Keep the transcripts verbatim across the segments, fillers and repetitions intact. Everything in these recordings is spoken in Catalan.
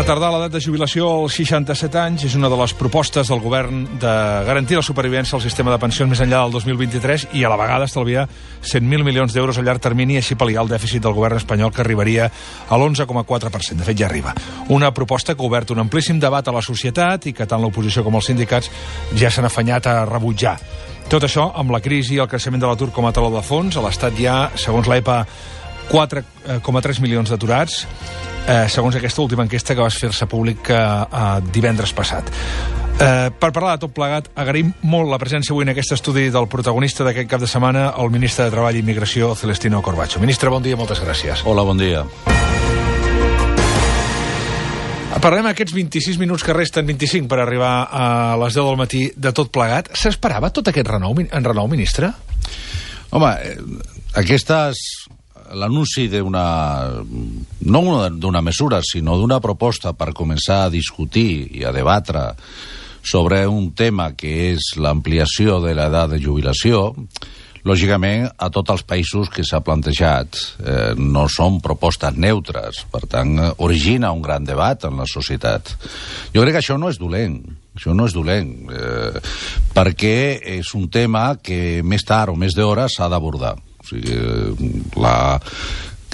retardar l'edat de jubilació als seixanta-set anys és una de les propostes del govern de garantir la supervivència al sistema de pensions més enllà del dos mil vint-i-tres i a la vegada estalviar cent mil milions d'euros a llarg termini i així pal·liar el dèficit del govern espanyol que arribaria a l'onze coma quatre per cent. De fet, ja arriba. Una proposta que ha obert un amplíssim debat a la societat i que tant l'oposició com els sindicats ja s'han afanyat a rebutjar. Tot això, amb la crisi i el creixement de l'atur com a taló de fons, a l'Estat hi ha, segons l'E P A, quatre coma tres milions d'aturats, eh, segons aquesta última enquesta que va fer-se públic eh, divendres passat. Eh, per parlar de tot plegat, agraïm molt la presència avui en aquest estudi del protagonista d'aquest cap de setmana, el ministre de Treball i Immigració, Celestino Corbacho. Ministre, bon dia, moltes gràcies. Hola, bon dia. Parlem aquests vint-i-sis minuts que resten, vint-i-cinc per arribar a les deu del matí de tot plegat. S'esperava tot aquest renou, en renou, ministre? Home, aquestes... l'anunci d'una... no d'una mesura, sinó d'una proposta per començar a discutir i a debatre sobre un tema que és l'ampliació de l'edat de jubilació, lògicament, a tots els països que s'ha plantejat eh, no són propostes neutres, per tant, origina un gran debat en la societat. Jo crec que això no és dolent, això no és dolent, eh, perquè és un tema que més tard o més d'hora s'ha d'abordar. O sigui, la,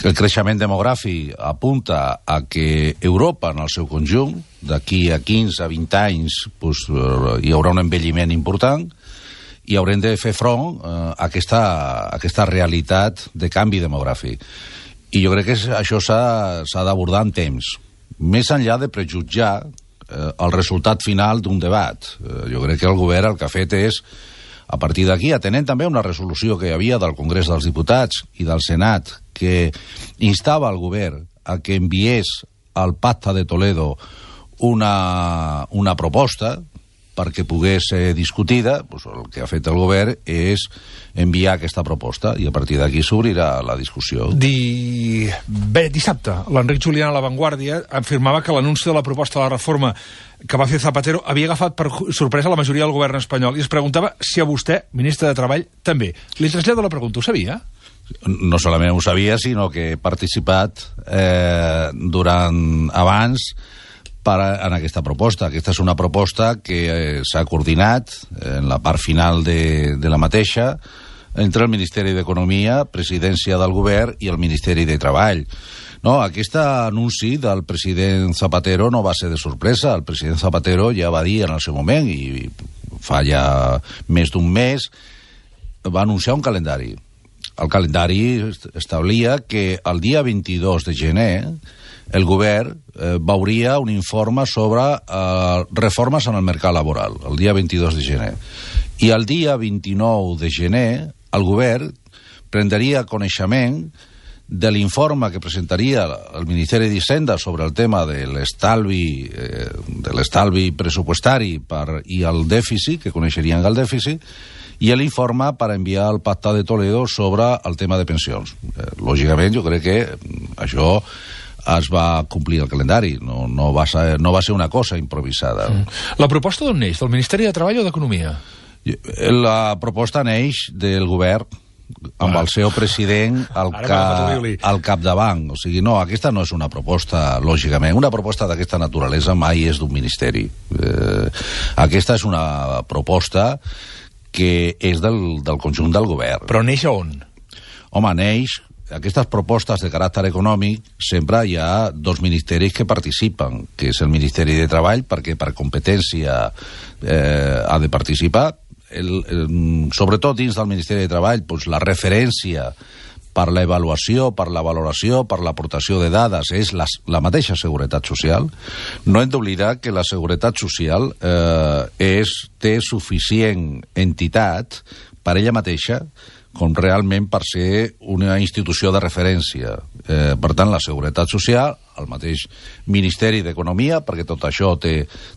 el creixement demogràfic apunta a que Europa, en el seu conjunt, d'aquí a quinze a vint anys, pues, hi haurà un envelliment important i haurem de fer front eh, a, aquesta, a aquesta realitat de canvi demogràfic. I jo crec que això s'ha d'abordar en temps, més enllà de prejutjar eh, el resultat final d'un debat. Eh, jo crec que el govern el que ha fet és, a partir d'aquí, atenent també una resolució que hi havia del Congrés dels Diputats i del Senat que instava al govern a que enviés al Pacte de Toledo una, una proposta perquè pogués ser discutida, doncs el que ha fet el govern és enviar aquesta proposta i a partir d'aquí s'obrirà la discussió. Di... Bé, dissabte, l'Enric Julián a La Vanguardia afirmava que l'anunci de la proposta de la reforma que va fer Zapatero havia agafat per sorpresa la majoria del govern espanyol i es preguntava si a vostè, ministre de Treball, també. Li trasllado la pregunta, ho sabia? No solament ho sabia, sinó que he participat eh, durant abans per a, en aquesta proposta. Aquesta és una proposta que eh, s'ha coordinat en la part final de, de la mateixa entre el Ministeri d'Economia, Presidència del Govern i el Ministeri de Treball. No, aquest anunci del president Zapatero no va ser de sorpresa. El president Zapatero ja va dir en el seu moment, i fa ja més d'un mes, va anunciar un calendari. El calendari establia que el dia vint-i-dos de gener el govern eh, veuria un informe sobre eh, reformes en el mercat laboral, el dia vint-i-dos de gener. I el dia vint-i-nou de gener el govern prendria coneixement de l'informe que presentaria el Ministeri d'Hisenda sobre el tema de l'estalvi eh, de l'estalvi pressupostari per, i el dèficit, que coneixerien el dèficit, i l'informe per enviar al Pacte de Toledo sobre el tema de pensions. Eh, lògicament, jo crec que això es va complir el calendari, no, no, va ser, no va ser una cosa improvisada. Mm. La proposta d'on neix? Del Ministeri de Treball o d'Economia? La proposta neix del govern amb ah. el seu president al, ca, al capdavant. O sigui, no, aquesta no és una proposta, lògicament. Una proposta d'aquesta naturalesa mai és d'un ministeri. Eh, aquesta és una proposta que és del, del conjunt del govern. Però neix a on? Home, neix... Aquestes propostes de caràcter econòmic sempre hi ha dos ministeris que participen, que és el Ministeri de Treball, perquè per competència eh, ha de participar. El, el, sobretot dins del Ministeri de Treball, doncs, la referència per l'avaluació, per la valoració, per l'aportació de dades és la, la mateixa Seguretat Social. No hem d'oblidar que la Seguretat Social eh, és, té suficient entitat per ella mateixa com realment per ser una institució de referència. Eh, per tant, la Seguretat Social, el mateix Ministeri d'Economia, perquè tot això té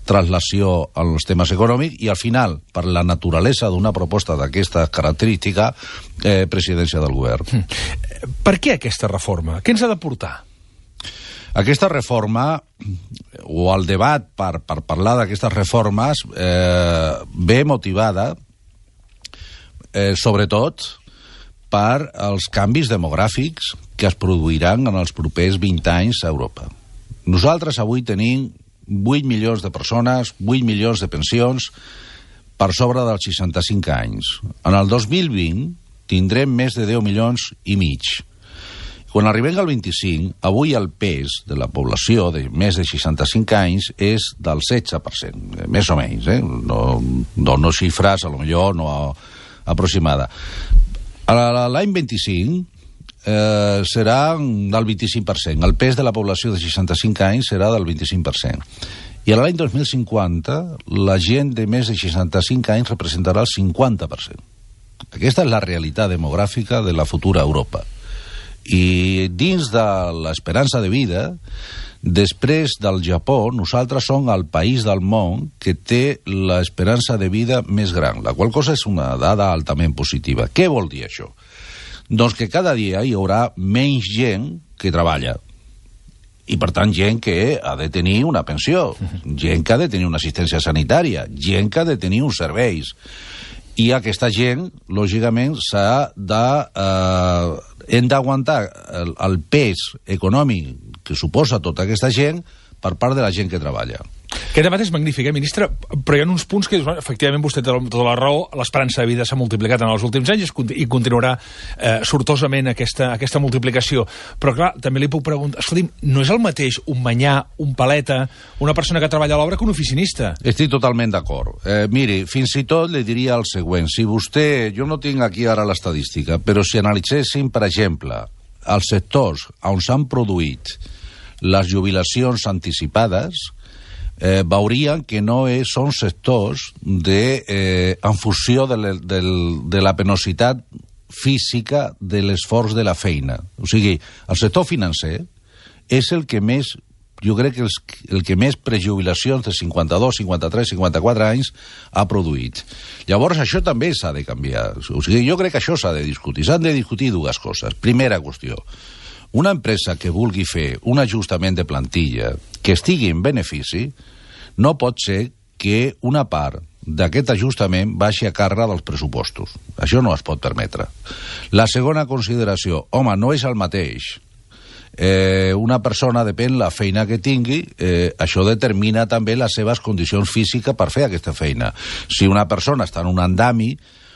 translació als temes econòmics, i al final, per la naturalesa d'una proposta d'aquesta característica, eh, Presidència del Govern. Per què aquesta reforma? Què ens ha de portar? Aquesta reforma, o el debat per, per parlar d'aquestes reformes, eh, ve motivada, eh, sobretot, per als canvis demogràfics que es produiran en els propers vint anys a Europa. Nosaltres avui tenim vuit milions de persones, vuit milions de pensions per sobre dels seixanta-cinc anys. En el dos mil vint tindrem més de deu milions i mig. Quan arribem al vint-i-cinc, avui el pes de la població de més de seixanta-cinc anys és del setze per cent, més o menys, eh? No, no, no xifres, a lo millor no aproximada. L'any vint-i-cinc eh, serà del vint-i-cinc per cent. El pes de la població de seixanta-cinc anys serà del vint-i-cinc per cent. I a l'any dos mil cinquanta, la gent de més de seixanta-cinc anys representarà el cinquanta per cent. Aquesta és la realitat demogràfica de la futura Europa. I dins de l'esperança de vida, després del Japó, nosaltres som el país del món que té l'esperança de vida més gran, la qual cosa és una dada altament positiva. Què vol dir això? Doncs que cada dia hi haurà menys gent que treballa. I, per tant, gent que ha de tenir una pensió, gent que ha de tenir una assistència sanitària, gent que ha de tenir uns serveis. I aquesta gent, lògicament, s'ha de... Eh, hem d'aguantar el, el pes econòmic que suposa tota aquesta gent per part de la gent que treballa. Aquest debat és magnífic, eh, ministre? Però hi ha uns punts que, efectivament, vostè té tota la raó, l'esperança de vida s'ha multiplicat en els últims anys i continuarà eh, sortosament aquesta, aquesta multiplicació. Però, clar, també li puc preguntar... Escolti'm, no és el mateix un manyà, un paleta, una persona que treballa a l'obra que un oficinista? Estic totalment d'acord. Eh, miri, fins i tot li diria el següent. Si vostè... Jo no tinc aquí ara l'estadística, però si analitzéssim, per exemple, els sectors on s'han produït les jubilacions anticipades, eh, veurien que no és, són sectors de, eh, en funció de, le, de, de la penositat física de l'esforç de la feina. O sigui, el sector financer és el que més, jo crec que el, el que més prejubilacions de cinquanta-dos, cinquanta-tres, cinquanta-quatre anys ha produït. Llavors, això també s'ha de canviar. O sigui, jo crec que això s'ha de discutir. S'han de discutir dues coses. Primera qüestió. Una empresa que vulgui fer un ajustament de plantilla que estigui en benefici, no pot ser que una part d'aquest ajustament baixi a càrrega dels pressupostos. Això no es pot permetre. La segona consideració, home, no és el mateix. Eh, una persona, depèn la feina que tingui, eh, això determina també les seves condicions físiques per fer aquesta feina. Si una persona està en un andami,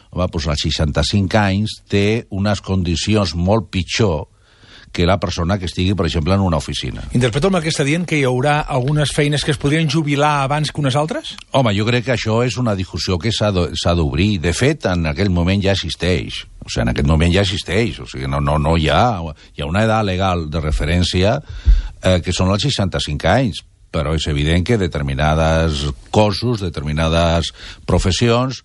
home, doncs als seixanta-cinc anys té unes condicions molt pitjor que la persona que estigui, per exemple, en una oficina. Interpreto el que està dient que hi haurà algunes feines que es podrien jubilar abans que unes altres? Home, jo crec que això és una discussió que s'ha d'obrir. De fet, en aquell moment ja existeix. O sigui, en aquest moment ja existeix. O sigui, no, no, no hi ha... Hi ha una edat legal de referència eh, que són els seixanta-cinc anys, però és evident que determinades cossos, determinades professions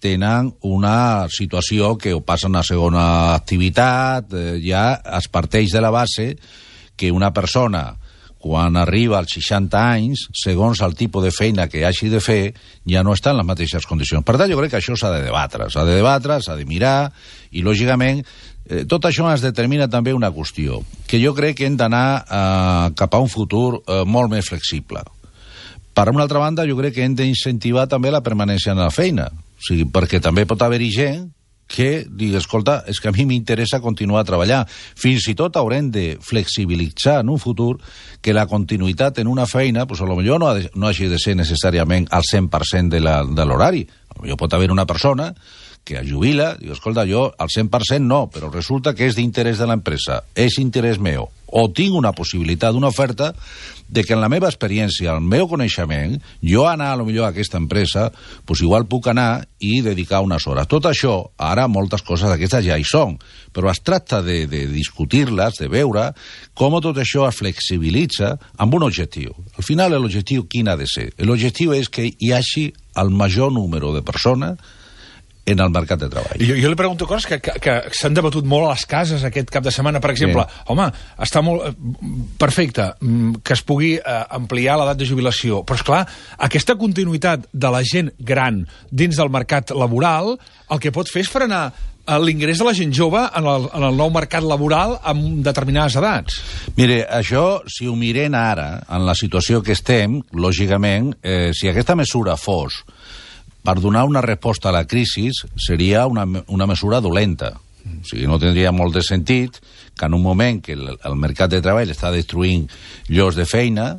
tenen una situació que ho passen a segona activitat, eh, ja es parteix de la base que una persona, quan arriba als seixanta anys, segons el tipus de feina que hagi de fer, ja no està en les mateixes condicions. Per tant, jo crec que això s'ha de debatre, s'ha de debatre, s'ha de mirar, i lògicament eh, tot això ens determina també una qüestió, que jo crec que hem d'anar eh, cap a un futur eh, molt més flexible. Per una altra banda, jo crec que hem d'incentivar també la permanència en la feina. O sigui, perquè també pot haver-hi gent que digui, escolta, és que a mi m'interessa continuar a treballar. Fins i tot haurem de flexibilitzar en un futur que la continuïtat en una feina, doncs, potser no, ha de, no hagi de ser necessàriament al cent per cent de l'horari. Potser pot haver una persona que es jubila, diu, escolta, jo al cent per cent no, però resulta que és d'interès de l'empresa, és interès meu, o tinc una possibilitat, una oferta, de que en la meva experiència, el meu coneixement, jo anar a lo millor a aquesta empresa, doncs igual puc anar i dedicar unes hores. Tot això, ara moltes coses d'aquestes ja hi són, però es tracta de, de discutir-les, de veure com tot això es flexibilitza amb un objectiu. Al final, l'objectiu quin ha de ser? L'objectiu és que hi hagi el major número de persones en el mercat de treball. Jo, jo li pregunto coses que, que, que s'han debatut molt a les cases aquest cap de setmana. Per exemple, sí. home, està molt perfecte que es pugui eh, ampliar l'edat de jubilació, però, esclar, aquesta continuïtat de la gent gran dins del mercat laboral, el que pot fer és frenar l'ingrés de la gent jove en el, en el nou mercat laboral amb determinades edats. Mire, això, si ho mirem ara, en la situació que estem, lògicament, eh, si aquesta mesura fos per donar una resposta a la crisi, seria una, una mesura dolenta. O sigui, no tindria molt de sentit que en un moment que el, el mercat de treball està destruint llocs de feina,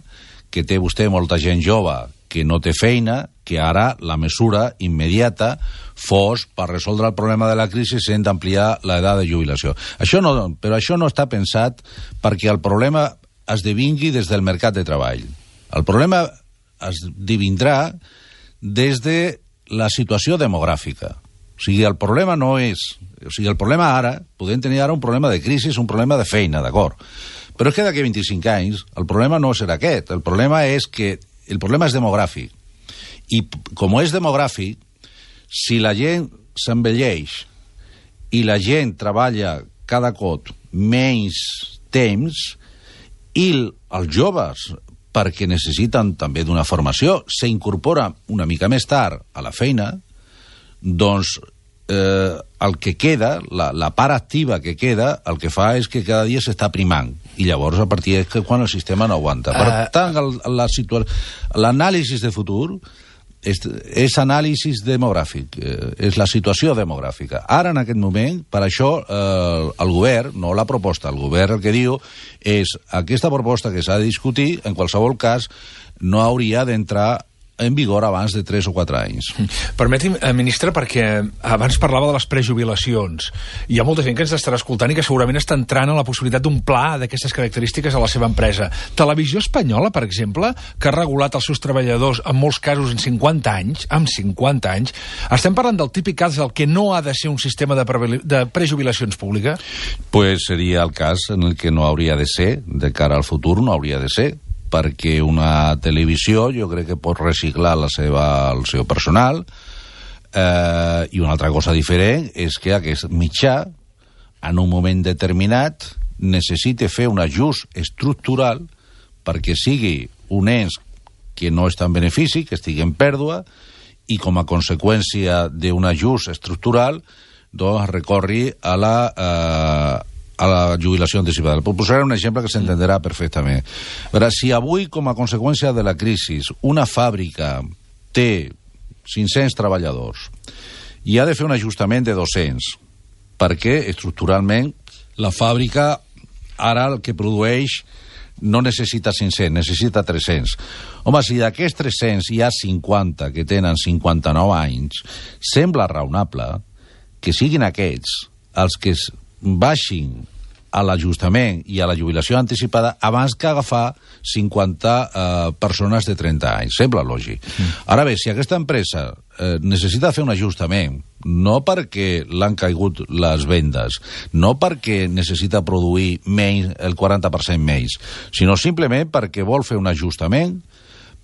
que té vostè molta gent jove que no té feina, que ara la mesura immediata fos per resoldre el problema de la crisi sense ampliar l'edat de jubilació. Això no, però això no està pensat perquè el problema esdevingui des del mercat de treball. El problema esdevindrà des de la situació demogràfica. O sigui, el problema no és... O sigui, el problema ara, podem tenir ara un problema de crisi, un problema de feina, d'acord. Però és que d'aquí vint-i-cinc anys el problema no serà aquest. El problema és que el problema és demogràfic. I com és demogràfic, si la gent s'envelleix i la gent treballa cada cop menys temps i els joves, perquè necessiten també d'una formació, s'incorpora una mica més tard a la feina, doncs eh, el que queda, la, la part activa que queda, el que fa és que cada dia s'està primant. I llavors, a partir és que quan el sistema no aguanta. Per uh... tant, l'anàlisi de futur és, és anàlisi demogràfic, eh, és la situació demogràfica. Ara, en aquest moment, per això, eh, el govern, no la proposta, el govern el que diu és aquesta proposta que s'ha de discutir, en qualsevol cas, no hauria d'entrar en vigor abans de tres o quatre anys. Permeti'm, ministre, perquè abans parlava de les prejubilacions. Hi ha molta gent que ens estarà escoltant i que segurament està entrant a la possibilitat d'un pla d'aquestes característiques a la seva empresa. Televisió Espanyola, per exemple, que ha regulat els seus treballadors en molts casos en cinquanta anys, amb cinquanta anys, estem parlant del típic cas del que no ha de ser un sistema de, pre de prejubilacions pública? Pues seria el cas en el que no hauria de ser, de cara al futur no hauria de ser, perquè una televisió jo crec que pot reciclar la seva, el seu personal, eh, i una altra cosa diferent és que aquest mitjà, en un moment determinat, necessita fer un ajust estructural perquè sigui un ens que no està en benefici, que estigui en pèrdua, i com a conseqüència d'un ajust estructural, doncs recorri a la... Eh, a la jubilació anticipada. Puc posar un exemple que s'entenderà perfectament. Però si avui, com a conseqüència de la crisi, una fàbrica té cinc-cents treballadors i ha de fer un ajustament de dos-cents, perquè estructuralment la fàbrica ara el que produeix no necessita cinc-cents, necessita tres-cents. Home, si d'aquests tres-cents hi ha cinquanta que tenen cinquanta-nou anys, sembla raonable que siguin aquests els que baixin a l'ajustament i a la jubilació anticipada abans que agafar cinquanta eh, persones de trenta anys. Sembla lògic. Mm. Ara bé, si aquesta empresa eh, necessita fer un ajustament, no perquè l'han caigut les vendes, no perquè necessita produir menys, el quaranta per cent menys, sinó simplement perquè vol fer un ajustament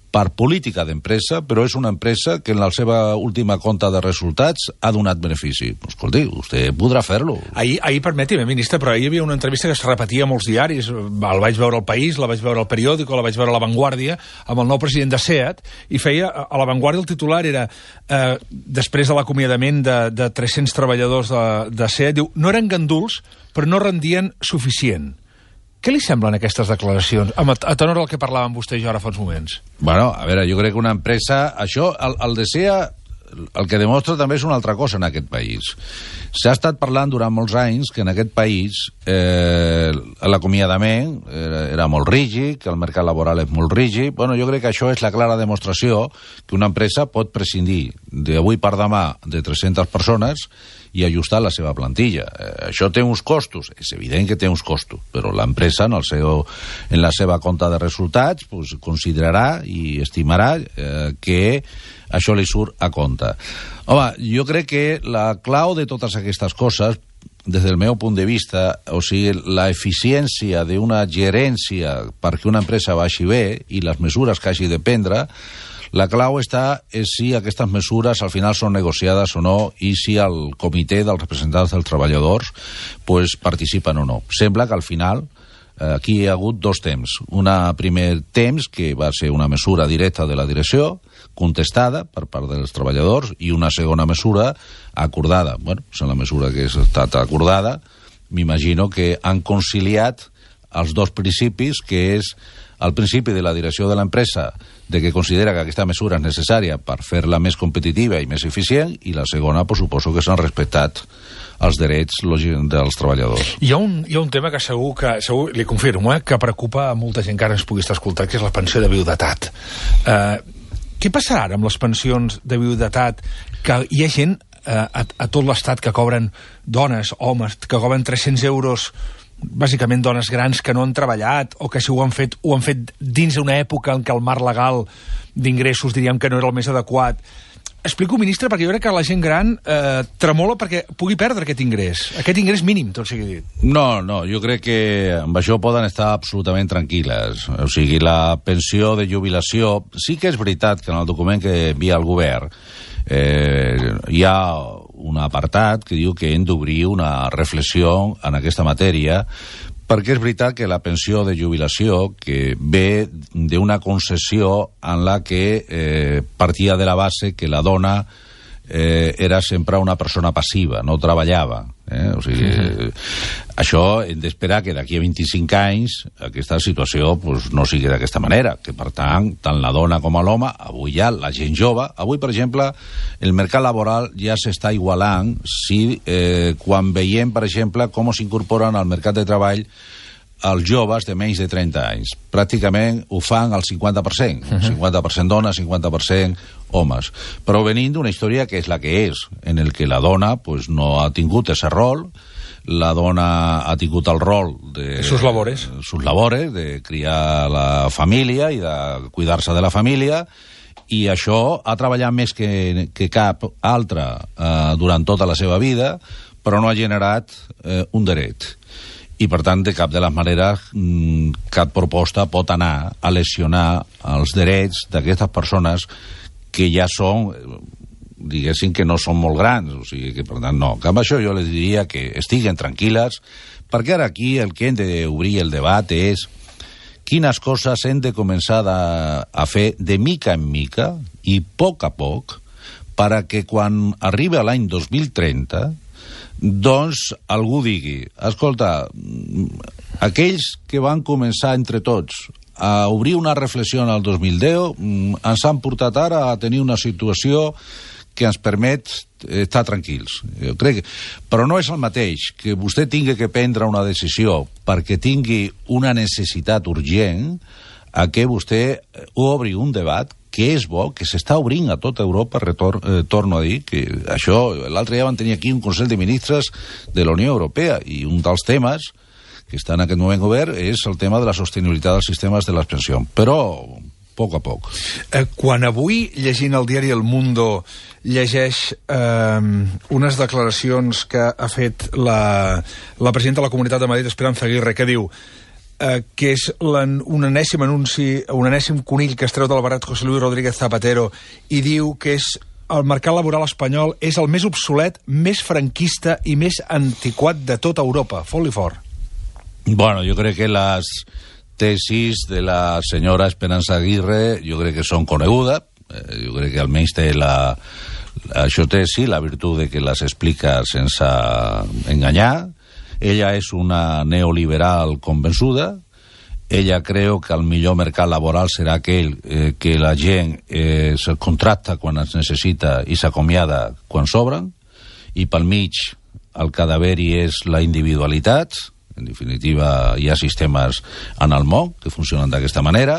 per política d'empresa, però és una empresa que en la seva última compta de resultats ha donat benefici. Escolti, vostè podrà fer-lo. Ahir, ahir permeti'm, ministre, però ahir hi havia una entrevista que es repetia a molts diaris. El vaig veure al País, la vaig veure al Periódico, la vaig veure a La Vanguardia, amb el nou president de SEAT, i feia, a La Vanguardia el titular era, eh, després de l'acomiadament de, de tres-cents treballadors de, de SEAT, diu, no eren ganduls, però no rendien suficient. Què li semblen aquestes declaracions, a tenor del que parlàvem vostè i jo ara fa uns moments? Bueno, a veure, jo crec que una empresa... Això, el, el de SEA, el que demostra també és una altra cosa en aquest país. S'ha estat parlant durant molts anys que en aquest país eh, l'acomiadament era, era molt rígid, que el mercat laboral és molt rígid. Bueno, jo crec que això és la clara demostració que una empresa pot prescindir d'avui per demà de tres-centes persones i ajustar la seva plantilla. Eh, això té uns costos, és evident que té uns costos, però l'empresa en, el seu, en la seva compta de resultats pues, considerarà i estimarà eh, que això li surt a compte. Home, jo crec que la clau de totes aquestes coses, des del meu punt de vista, o sigui, la eficiència d'una gerència perquè una empresa vagi bé i les mesures que hagi de prendre, la clau està és si aquestes mesures al final són negociades o no i si el comitè dels representants dels treballadors pues, participen o no. Sembla que al final eh, aquí hi ha hagut dos temps. Un primer temps que va ser una mesura directa de la direcció, contestada per part dels treballadors, i una segona mesura acordada. Bueno, és la mesura que ha estat acordada. M'imagino que han conciliat els dos principis, que és al principi de la direcció de l'empresa de que considera que aquesta mesura és necessària per fer-la més competitiva i més eficient, i la segona, pues, suposo que s'han respectat els drets dels treballadors. Hi ha un, hi ha un tema que segur, que segur li confirmo, eh, que preocupa a molta gent que ara ens pugui estar escoltant, que és la pensió de viudetat. Eh, què passarà ara amb les pensions de viudetat? Que hi ha gent eh, a, a tot l'estat que cobren, dones, homes, que cobren tres-cents euros, bàsicament dones grans que no han treballat, o que si ho han fet, ho han fet dins d'una època en què el marc legal d'ingressos diríem que no era el més adequat. Explico, ministre, perquè jo crec que la gent gran eh, tremola perquè pugui perdre aquest ingrés, aquest ingrés mínim, tot sigui dit. No, no, jo crec que amb això poden estar absolutament tranquil·les. O sigui, la pensió de jubilació, sí que és veritat que en el document que envia el govern eh, hi ha un apartat que diu que hem d'obrir una reflexió en aquesta matèria, perquè és veritat que la pensió de jubilació que ve d'una concessió en la que eh, partia de la base que la dona eh, era sempre una persona passiva, no treballava. Eh? O sigui, eh, això hem d'esperar que d'aquí a vint-i-cinc anys aquesta situació pues, no sigui d'aquesta manera, que per tant, tant la dona com l'home, avui ja la gent jove, avui per exemple el mercat laboral ja s'està igualant si eh, quan veiem per exemple com s'incorporen al mercat de treball els joves de menys de trenta anys. Pràcticament ho fan al cinquanta per cent. Uh-huh. cinquanta per cent dones, cinquanta per cent homes. Però venint d'una història que és la que és, en el que la dona pues, no ha tingut ese rol, la dona ha tingut el rol de... Sus labores. Sus labores, de criar la família i de cuidar-se de la família, i això ha treballat més que, que cap altre eh, durant tota la seva vida, però no ha generat eh, un dret. I, per tant, de cap de les maneres, cap proposta pot anar a lesionar els drets d'aquestes persones que ja són, diguéssim, que no són molt grans. O sigui que, per tant, no. Amb això jo les diria que estiguen tranquil·les, perquè ara aquí el que hem d'obrir el debat és quines coses hem de començar de, a fer de mica en mica i a poc a poc perquè quan arribi l'any dos mil trenta doncs algú digui, escolta, aquells que van començar entre tots a obrir una reflexió en el dos mil deu ens han portat ara a tenir una situació que ens permet estar tranquils. Jo crec que... Però no és el mateix que vostè tingui que prendre una decisió perquè tingui una necessitat urgent a que vostè obri un debat que és bo, que s'està obrint a tota Europa, retor, eh, torno a dir, que això, l'altre dia van tenir aquí un Consell de Ministres de la Unió Europea, i un dels temes que està en aquest moment obert és el tema de la sostenibilitat dels sistemes de les pensions, però a poc a poc. Eh, quan avui, llegint el diari El Mundo, llegeix eh, unes declaracions que ha fet la, la presidenta de la Comunitat de Madrid, Esperanza Aguirre, que diu Uh, que és un enèsim anunci, un enèsim conill que es treu del barat José Luis Rodríguez Zapatero, i diu que és el mercat laboral espanyol és el més obsolet, més franquista i més antiquat de tota Europa. Fot-li fort. Bueno, jo crec que les tesis de la senyora Esperanza Aguirre jo crec que són conegudes, eh, jo crec que almenys té la, això té sí la virtut de que les explica sense enganyar. Ella és una neoliberal convençuda. Ella creu que el millor mercat laboral serà aquell eh, que la gent eh, se'l contracta quan es necessita i s'acomiada quan sobren, i pel mig el que ha d'haver-hi és la individualitat. En definitiva, hi ha sistemes en el món que funcionen d'aquesta manera,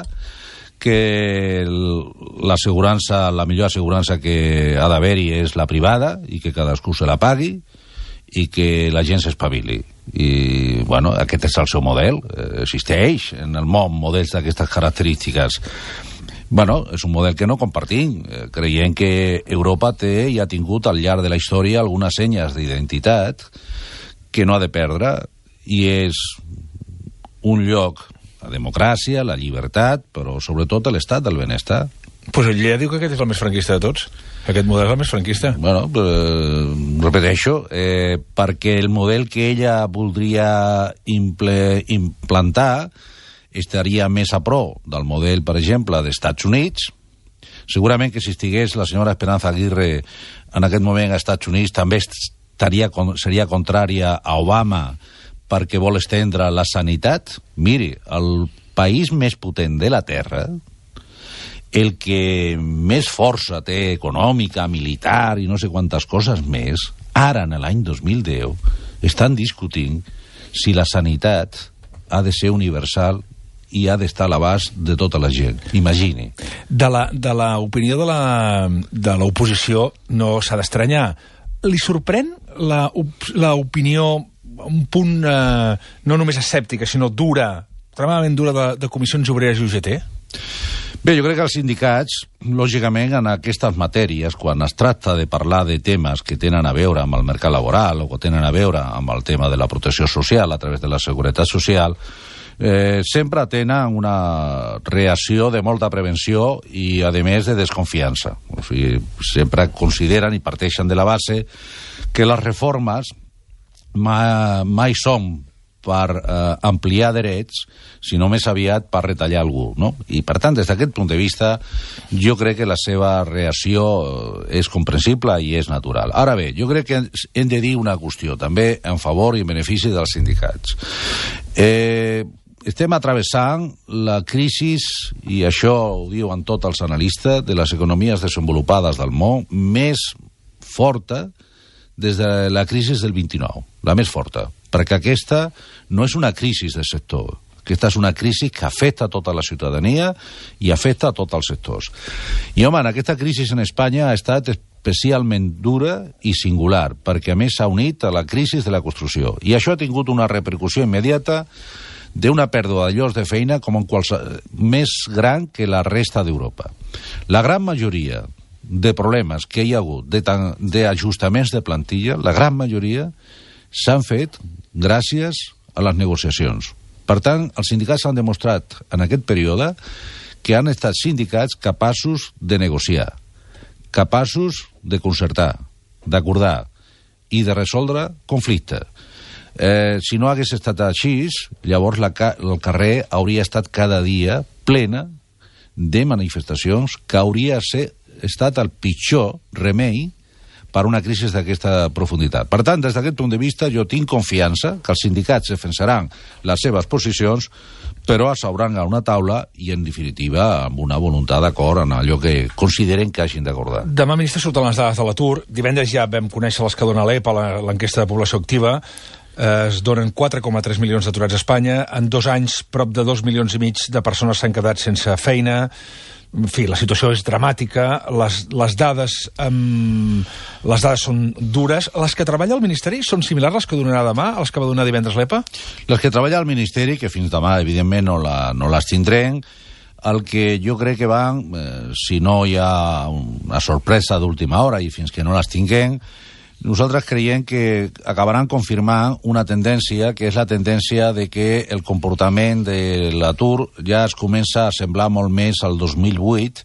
que l'assegurança, la millor assegurança que ha d'haver-hi és la privada i que cadascú se la pagui, i que la gent s'espavili. I, bueno, aquest és el seu model. Eh, existeix en el món models d'aquestes característiques. Bueno, és un model que no compartim. Eh, creiem que Europa té i ha tingut al llarg de la història algunes senyes d'identitat que no ha de perdre, i és un lloc, la democràcia, la llibertat, però sobretot l'estat del benestar. Pues ella diu que aquest és el més franquista de tots. Aquest model és el més franquista. Bueno, eh, repeteixo, eh, perquè el model que ella voldria imple, implantar estaria més a pro del model, per exemple, dels Estats Units. Segurament que si estigués la senyora Esperanza Aguirre en aquest moment als Estats Units també estaria, seria contrària a Obama perquè vol estendre la sanitat. Miri, el país més potent de la Terra, el que més força té econòmica, militar i no sé quantes coses més, ara, en l'any dos mil deu, estan discutint si la sanitat ha de ser universal i ha d'estar a l'abast de tota la gent. Imagini. De la, de l'opinió de la, de l'oposició no s'ha d'estranyar. Li sorprèn l'opinió, un punt eh, no només escèptica, sinó dura, extremadament dura, de, de Comissions Obreres i U G T? Bé, jo crec que els sindicats, lògicament, en aquestes matèries, quan es tracta de parlar de temes que tenen a veure amb el mercat laboral o que tenen a veure amb el tema de la protecció social a través de la seguretat social, eh, sempre tenen una reacció de molta prevenció i, a més, de desconfiança. O sigui, sempre consideren i parteixen de la base que les reformes mai, mai són per eh, ampliar drets, sinó més aviat per retallar algú, no? I, per tant, des d'aquest punt de vista, jo crec que la seva reacció és comprensible i és natural. Ara bé, jo crec que hem de dir una qüestió, també en favor i en benefici dels sindicats. Eh, estem atravessant la crisi, i això ho diuen tots els analistes, de les economies desenvolupades del món, més forta des de la crisi del vint-i-nou, la més forta, perquè aquesta no és una crisi de sector, aquesta és una crisi que afecta a tota la ciutadania i afecta a tots els sectors. I, home, aquesta crisi en Espanya ha estat especialment dura i singular, perquè a més s'ha unit a la crisi de la construcció, i això ha tingut una repercussió immediata d'una pèrdua de llocs de feina com en qualsevol, més gran que la resta d'Europa. La gran majoria de problemes que hi ha hagut d'ajustaments de plantilla, la gran majoria s'han fet gràcies a les negociacions. Per tant, els sindicats han demostrat en aquest període que han estat sindicats capaços de negociar, capaços de concertar, d'acordar i de resoldre conflictes. Eh, si no hagués estat així, llavors la, el carrer hauria estat cada dia plena de manifestacions que hauria ser estat el pitjor remei per una crisi d'aquesta profunditat. Per tant, des d'aquest punt de vista, jo tinc confiança que els sindicats defensaran les seves posicions, però s'hauran a una taula i, en definitiva, amb una voluntat d'acord en allò que consideren que hagin d'acordar. Demà, ministre, surten les dades de l'atur. Divendres ja vam conèixer les que dona l'E P A, l'enquesta de població activa. Eh, es donen quatre coma tres milions d'aturats a Espanya. En dos anys, prop de dos milions i mig de persones s'han quedat sense feina. En fi, la situació és dramàtica, les, les dades um, les dades són dures. Les que treballa al Ministeri són similars a les que donarà demà, a les que va donar divendres l'E P A? Les que treballa al Ministeri, que fins demà, evidentment, no, la, no les tindrem, el que jo crec que van, eh, si no hi ha una sorpresa d'última hora i fins que no les tinguem, nosaltres creiem que acabaran confirmant una tendència, que és la tendència de que el comportament de l'atur ja es comença a semblar molt més al dos mil vuit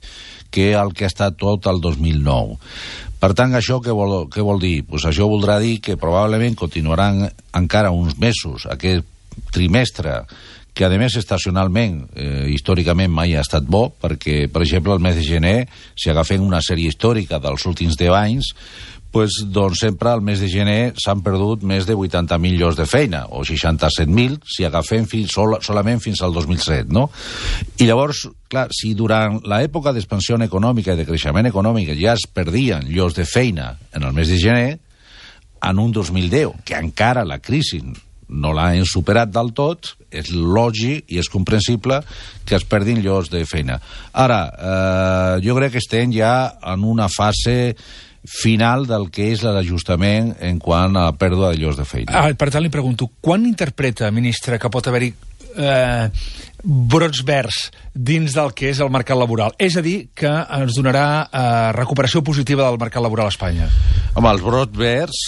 que el que ha estat tot el dos mil nou. Per tant, això què vol, què vol dir? Pues això voldrà dir que probablement continuaran encara uns mesos aquest trimestre, que a més estacionalment, eh, històricament mai ha estat bo, perquè, per exemple, el mes de gener, si agafem una sèrie històrica dels últims deu anys, pues, doncs sempre al mes de gener s'han perdut més de vuitanta mil llocs de feina, o seixanta-set mil, si agafem fins, sol, solament fins al dos mil set, no? I llavors, clar, si durant l'època d'expansió econòmica i de creixement econòmic ja es perdien llocs de feina en el mes de gener, en un dos mil deu, que encara la crisi no l'han superat del tot, és lògic i és comprensible que es perdin llocs de feina. Ara, eh, jo crec que estem ja en una fase final del que és l'ajustament en quant a la pèrdua de llocs de feina. Ah, per tant, li pregunto, quan interpreta, ministre, que pot haver-hi eh, brots verds dins del que és el mercat laboral? És a dir, que ens donarà eh, recuperació positiva del mercat laboral a Espanya? Home, els brots verds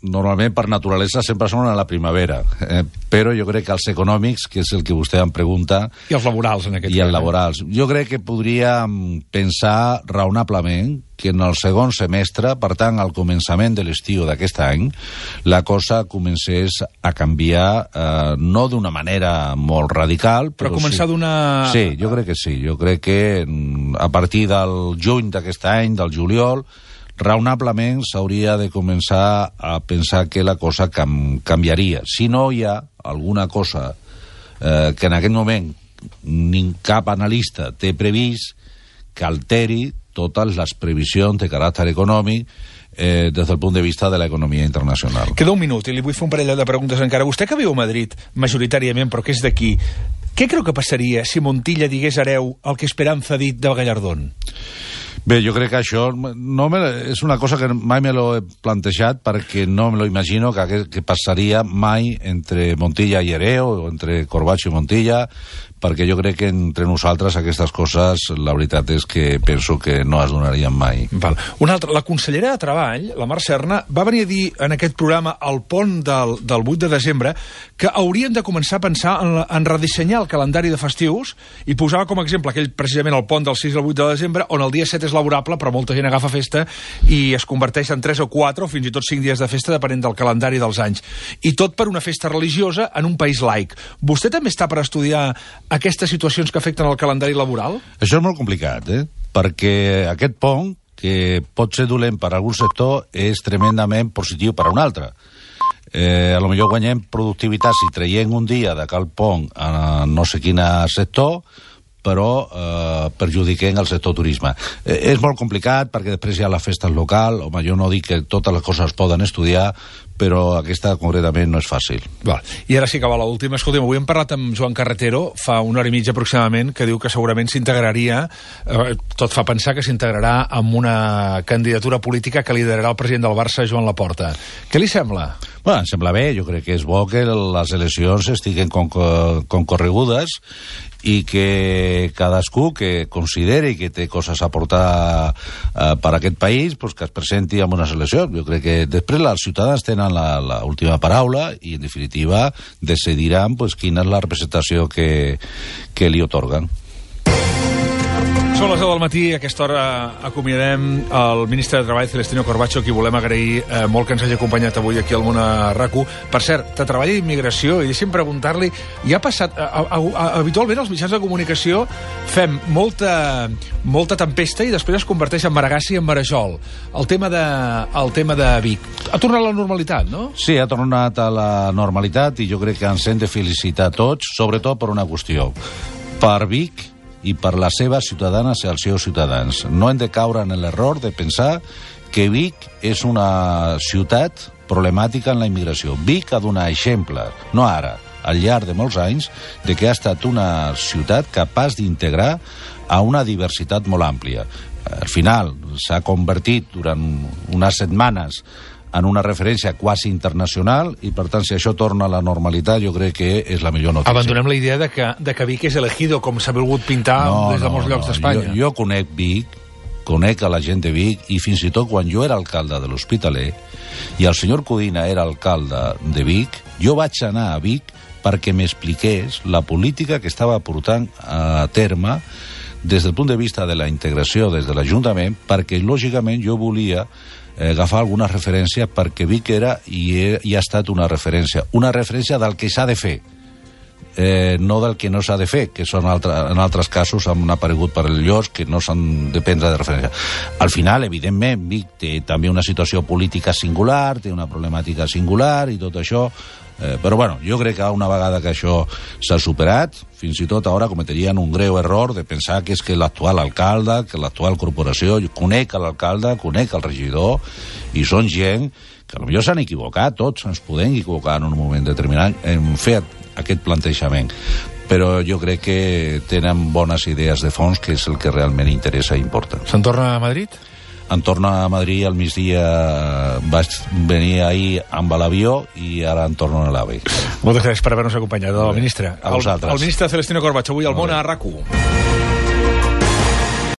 normalment per naturalesa sempre són a la primavera, eh, però jo crec que els econòmics, que és el que vostè em pregunta... I els laborals, en aquest cas. I els laborals. Jo crec que podríem pensar raonablement que en el segon semestre, per tant, al començament de l'estiu d'aquest any, la cosa comencés a canviar, eh, no d'una manera molt radical, però... Però començar sí. a donar... Sí, jo crec que sí. Jo crec que a partir del juny d'aquest any, del juliol, raonablement s'hauria de començar a pensar que la cosa cam canviaria. Si no hi ha alguna cosa eh, que en aquest moment ni cap analista té previst que alteri totes les previsions de caràcter econòmic eh, des del punt de vista de l'economia internacional. Queda un minut i li vull fer un parell de preguntes encara. Vostè que viu a Madrid, majoritàriament, però que és d'aquí, què creu que passaria si Montilla digués hereu el que Esperanza ha dit de Gallardón? Bé, jo crec que això no me, és una cosa que mai me l'he plantejat perquè no me lo imagino que, que passaria mai entre Montilla i Hereu o entre Corbacho i Montilla, perquè jo crec que entre nosaltres aquestes coses la veritat és que penso que no es donarien mai. Val. Una altra, la consellera de Treball, la Mar Serna, va venir a dir en aquest programa al pont del, del vuit de desembre que haurien de començar a pensar en, la, en redissenyar el calendari de festius i posava com a exemple aquell precisament el pont del sis al vuit de desembre on el dia set és laborable però molta gent agafa festa i es converteix en tres o quatre o fins i tot cinc dies de festa depenent del calendari dels anys. I tot per una festa religiosa en un país laic. Vostè també està per estudiar aquestes situacions que afecten el calendari laboral? Això és molt complicat, eh? Perquè aquest pont, que pot ser dolent per a algun sector, és tremendament positiu per a un altre. Eh, a lo millor guanyem productivitat si traiem un dia de cal pont a no sé quin sector, però eh, perjudiquem el sector turisme. Eh, és molt complicat perquè després hi ha les festes locals, home, jo no dic que totes les coses es poden estudiar, però aquesta concretament no és fàcil. Val. I ara sí que va l'última. Escolta'm, avui hem parlat amb Joan Carretero fa una hora i mitja aproximadament, que diu que segurament s'integraria, eh, tot fa pensar que s'integrarà amb una candidatura política que liderarà el president del Barça, Joan Laporta. Què li sembla? Bueno, em sembla bé, jo crec que és bo que les eleccions estiguen concorregudes i que cadascú que consideri que té coses a portar eh, per a aquest país, pues que es presenti en unes eleccions. Jo crec que després els ciutadans tenen la, la última paraula i, en definitiva, decidiran pues, quina és la representació que, que li otorguen. Són les deu del matí, a aquesta hora acomiadem el ministre de Treball, Celestino Corbacho, qui volem agrair eh, molt que ens hagi acompanyat avui aquí al Món a RAC u. Per cert, de Treball i Immigració, i deixi'm preguntar-li, ja ha passat, a, a, a, habitualment els mitjans de comunicació fem molta, molta tempesta i després es converteix en Maragassa i en Marajol. El tema de, el tema de Vic. Ha tornat a la normalitat, no? Sí, ha tornat a la normalitat i jo crec que ens hem de felicitar tots, sobretot per una qüestió. Per Vic i per les seves ciutadanes i els seus ciutadans. No hem de caure en l'error de pensar que Vic és una ciutat problemàtica en la immigració. Vic ha donat exemple, no ara, al llarg de molts anys, de que ha estat una ciutat capaç d'integrar a una diversitat molt àmplia. Al final s'ha convertit durant unes setmanes en una referència quasi internacional i, per tant, si això torna a la normalitat, jo crec que és la millor notícia. Abandonem la idea de que, de que Vic és elegido, com s'ha volgut pintar no, des de molts no, llocs no. d'Espanya. Jo, jo conec Vic, conec a la gent de Vic, i fins i tot quan jo era alcalde de l'Hospitalet i el senyor Codina era alcalde de Vic, jo vaig anar a Vic perquè m'expliqués la política que estava portant a terme des del punt de vista de la integració des de l'Ajuntament, perquè, lògicament, jo volia Eh, agafar alguna referència perquè Vic era i, he, i ha estat una referència. Una referència del que s'ha de fer, eh, no del que no s'ha de fer, que són altre, en altres casos han aparegut per llocs que no s'han de prendre de referència. Al final, evidentment, Vic té també una situació política singular, té una problemàtica singular i tot això, eh, però bueno, jo crec que una vegada que això s'ha superat, fins i tot ara cometerien un greu error de pensar que és que l'actual alcalde, que l'actual corporació, jo conec l'alcalde, conec el regidor, i són gent que potser s'han equivocat, tots ens podem equivocar en un moment determinat, hem fet aquest plantejament. Però jo crec que tenen bones idees de fons, que és el que realment interessa i importa. Se'n torna a Madrid? En torna a Madrid al migdia, vaig venir ahir amb l'avió i ara en torno a l'AVE. Moltes gràcies per haver-nos acompanyat, el ministre. A vosaltres. El, el ministre Celestino Corbacho, avui al Món a RAC u.